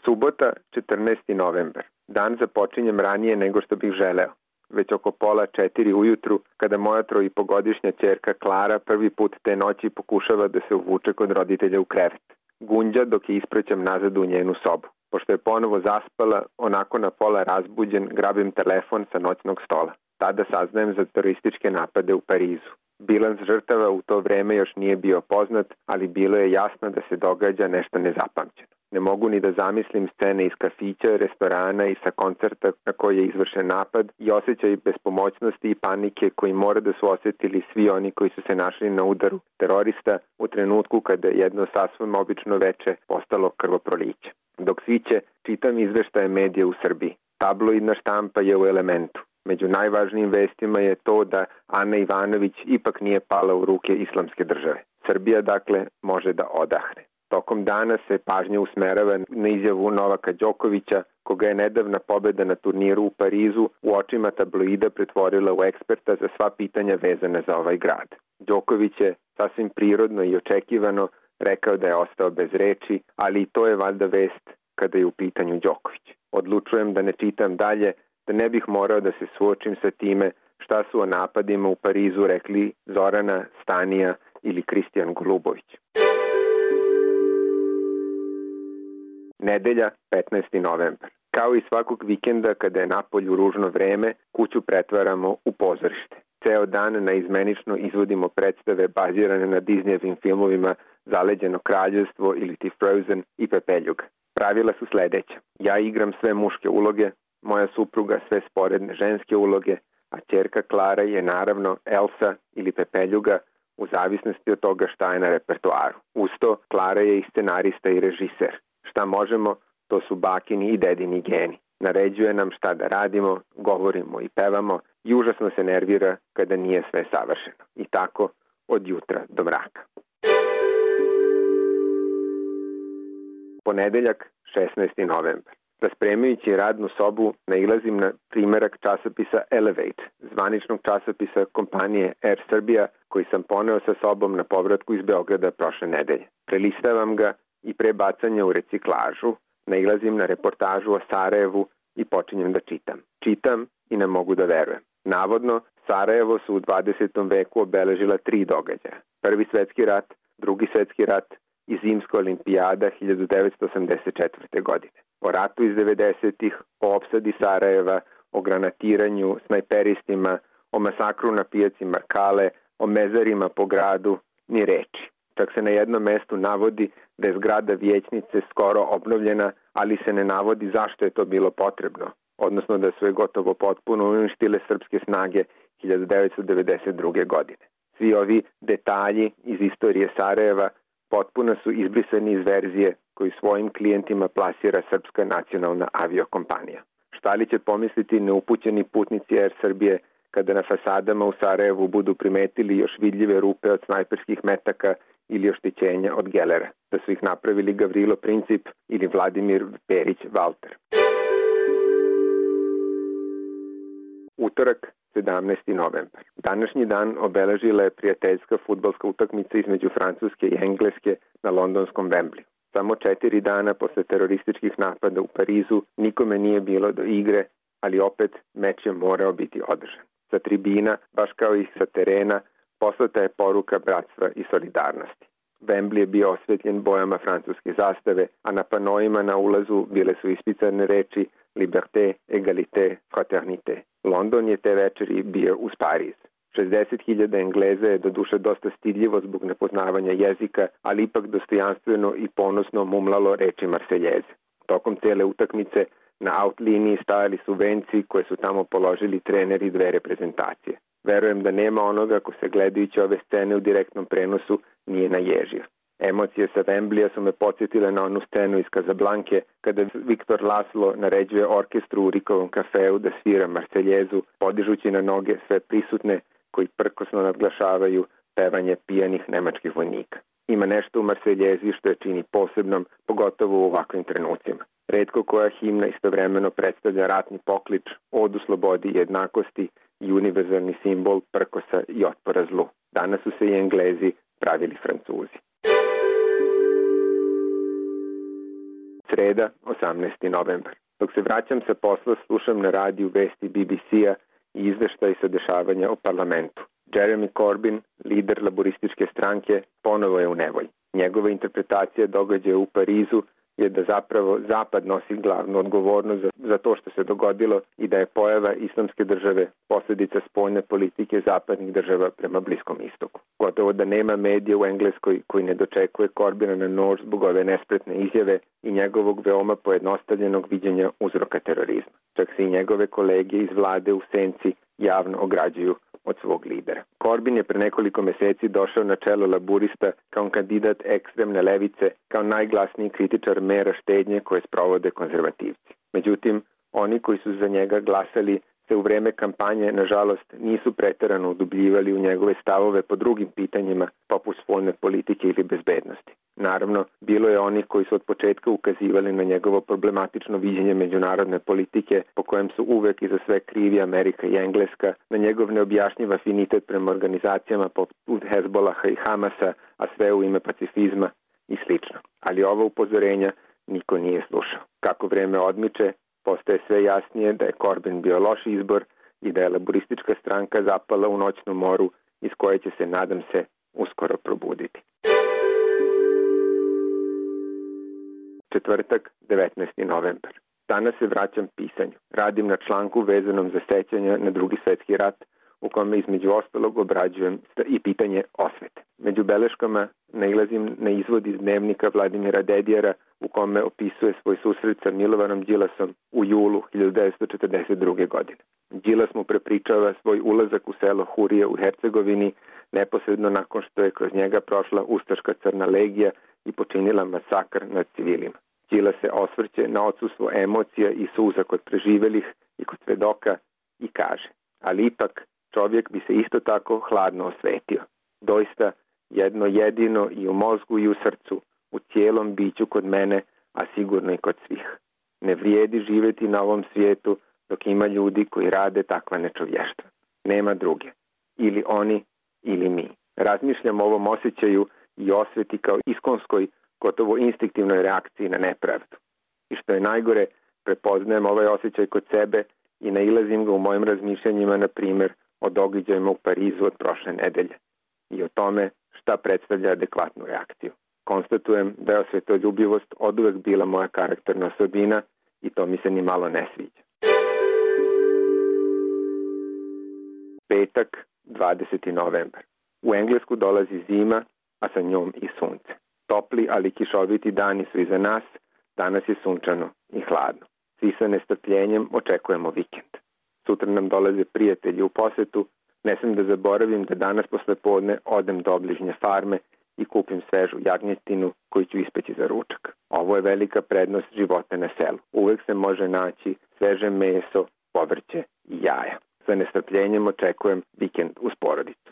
Subota, 14. novembar. Dan započinjem ranije nego što bih želeo. Već oko 3:30 ujutru, kada moja 3,5-godišnja ćerka Klara prvi put te noći pokušava da se uvuče kod roditelja u krevet. Gunđa dok je ispraćam nazad u njenu sobu. Pošto je ponovo zaspala, onako na pola razbuđen, grabim telefon sa noćnog stola. Tada saznajem za terorističke napade u Parizu. Bilans žrtava u to vreme još nije bio poznat, ali bilo je jasno da se događa nešto nezapamćeno. Ne mogu ni da zamislim scene iz kafića, restorana i sa koncerta na koji je izvršen napad i osjećaj bespomoćnosti i panike koji mora da su osjetili svi oni koji su se našli na udaru terorista u trenutku kada je jedno sasvim obično veče postalo krvoproliće. Dok sviće, čitam izveštaje medija u Srbiji. Tabloidna štampa je u elementu. Među najvažnijim vestima je to da Ana Ivanović ipak nije pala u ruke islamske države. Srbija, dakle, može da odahne. Tokom dana se pažnja usmerava na izjavu Novaka Đokovića, koga je nedavna pobeda na turniru u Parizu u očima tabloida pretvorila u eksperta za sva pitanja vezane za ovaj grad. Đoković je sasvim prirodno i očekivano rekao da je ostao bez reči, ali i to je valjda vest kada je u pitanju Đoković. Odlučujem da ne čitam dalje, da ne bih morao da se suočim sa time šta su o napadima u Parizu rekli Zorana, Stanija ili Kristijan Golubović. Nedelja, 15. novembar. Kao i svakog vikenda kada je napolju ružno vreme, kuću pretvaramo u pozorište. Ceo dan naizmenično izvodimo predstave bazirane na Disneyevim filmovima Zaleđeno kraljevstvo ili ti Frozen i Pepeljuga. Pravila su sledeća. Ja igram sve muške uloge, moja supruga sve sporedne ženske uloge, a ćerka Klara je naravno Elsa ili Pepeljuga u zavisnosti od toga šta je na repertoaru. Usto, Klara je i scenarista i režiser. Šta možemo, to su bakini i dedini geni. Naređuje nam šta da radimo, govorimo i pevamo i užasno se nervira kada nije sve savršeno. I tako od jutra do mraka. Ponedeljak, 16. novembar. Raspremajući radnu sobu, nailazim na primerak časopisa Elevate, zvaničnog časopisa kompanije Air Serbia, koji sam poneo sa sobom na povratku iz Beograda prošle nedelje. Prelistavam ga i pre bacanja u reciklažu, nailazim na reportažu o Sarajevu i počinjem da čitam. Čitam i ne mogu da verujem. Navodno, Sarajevo su u 20. veku obeležila 3 događaja. Prvi svetski rat, drugi svetski rat i zimska olimpijada 1984. godine. O ratu iz 90-ih, o opsadi Sarajeva, o granatiranju, snajperistima, o masakru na pijaci Markale, o mezarima po gradu, ni reči. Čak se na jednom mestu navodi da je zgrada vijećnice skoro obnovljena, ali se ne navodi zašto je to bilo potrebno, odnosno da su je gotovo potpuno uništile srpske snage 1992. godine. Svi ovi detalji iz istorije Sarajeva potpuno su izbrisani iz verzije koju svojim klijentima plasira Srpska nacionalna aviokompanija. Šta li će pomisliti neupućeni putnici Air Srbije kada na fasadama u Sarajevu budu primetili još vidljive rupe od snajperskih metaka ili oštećenja od gelera, da su ih napravili Gavrilo Princip ili Vladimir Perić Valter. Utorak, 17. novembar. Današnji dan obeležila je prijateljska fudbalska utakmica između Francuske i Engleske na londonskom Wembleyu. Samo 4 dana posle terorističkih napada u Parizu nikome nije bilo do igre, ali opet meč je morao biti održan. Sa tribina, baš kao i sa terena, poslata je poruka bratstva i solidarnosti. Wembley je bio osvetljen bojama francuske zastave, a na panojima na ulazu bile su ispisane reči Liberté, Egalité, Fraternité. London je te večeri bio uz Pariz. 60.000 Engleza je doduše dosta stidljivo zbog nepoznavanja jezika, ali ipak dostojanstveno i ponosno mumlalo reči Marseljeze. Tokom cele utakmice na out liniji stajali su venci koje su tamo položili treneri 2 reprezentacije. Verujem da nema onoga ko se gledajući ove scene u direktnom prenosu nije naježio. Emocije sa Wembleya su me podsjetile na onu scenu iz Kazablanke kada Viktor Laslo naređuje orkestru u Rikovom kafeu da svira Marseljezu, podižući na noge sve prisutne koji prkosno nadglašavaju pevanje pijanih nemačkih vojnika. Ima nešto u Marseljezi što je čini posebnom, pogotovo u ovakvim trenucima. Retko koja himna istovremeno predstavlja ratni poklič, odu slobodi i jednakosti i univerzalni simbol prkosa i otpora zlu. Danas su se i Englezi pravili Francuzi. Sreda, 18. novembar. Dok se vraćam sa posla, slušam na radiju vesti BBC-a i izveštaj sa dešavanja o parlamentu. Jeremy Corbyn, lider laborističke stranke, ponovo je u nevolji. Njegova interpretacija događaja u Parizu je da zapravo Zapad nosi glavnu odgovornost za to što se dogodilo i da je pojava islamske države posljedica spoljne politike zapadnih država prema Bliskom istoku. Gotovo da nema medija u Engleskoj koji ne dočekuje Corbyna na nož zbog ove nespretne izjave i njegovog veoma pojednostavljenog viđenja uzroka terorizma. Čak se i njegove kolege iz vlade u senci javno ograđuju od svog lidera. Corbyn je pre nekoliko meseci došao na čelo laburista kao kandidat ekstremne levice, kao najglasniji kritičar mera štednje koje sprovode konzervativci. Međutim, oni koji su za njega glasali se u vreme kampanje, nažalost, nisu preterano udubljivali u njegove stavove po drugim pitanjima, poput spoljne politike ili bezbednosti. Naravno, bilo je onih koji su od početka ukazivali na njegovo problematično viđenje međunarodne politike, po kojem su uvek i za sve krivi Amerika i Engleska, na njegov neobjašnjiv afinitet prema organizacijama poput Hezbolaha i Hamasa, a sve u ime pacifizma i slično. Ali ova upozorenja niko nije slušao. Kako vreme odmiče, postaje sve jasnije da je Corbyn bio loš izbor i da je laboristička stranka zapala u noćnu moru iz koje će se, nadam se, uskoro probuditi. Četvrtak, 19. novembar. Danas se vraćam pisanju. Radim na članku vezanom za sećanja na Drugi svetski rat, u kome između ostalog obrađujem i pitanje osvete. Među beleškama nailazim na izvod iz dnevnika Vladimira Dedijara u kome opisuje svoj susret sa Milovanom Đilasom u julu 1942. godine. Đilas mu prepričava svoj ulazak u selo Hurije u Hercegovini neposredno nakon što je kroz njega prošla ustaška crna legija i počinila masakr nad civilima. Đilas se osvrće na odsustvo emocija i suza kod preživelih i kod svedoka i kaže: ali ipak čovjek bi se isto tako hladno osvetio. Doista, jedno jedino i u mozgu i u srcu, u cijelom biću kod mene, a sigurno i kod svih. Ne vrijedi živjeti na ovom svijetu dok ima ljudi koji rade takva nečovještva. Nema druge. Ili oni, ili mi. Razmišljam o ovom osjećaju i osveti kao iskonskoj, gotovo instinktivnoj reakciji na nepravdu. I što je najgore, prepoznajem ovaj osjećaj kod sebe i nailazim ga u mojim razmišljanjima, na primjer, o događajima u Parizu od prošle nedelje i o tome šta predstavlja adekvatnu reakciju. Konstatujem da je osvetoljubivost oduvek bila moja karakterna osobina i to mi se ni malo ne sviđa. Petak, 20. novembar. U Englesku dolazi zima, a sa njom i sunce. Topli, ali kišoviti dani su iza nas, danas je sunčano i hladno. Svi sa nestrpljenjem očekujemo vikend. Sutra nam dolaze prijatelji u posetu, ne smem da zaboravim da danas posle podne odem do obližnje farme i kupim svežu jagnjetinu koju ću ispeći za ručak. Ovo je velika prednost života na selu. Uvek se može naći sveže meso, povrće i jaja. Sa nestrpljenjem očekujem vikend uz porodicu.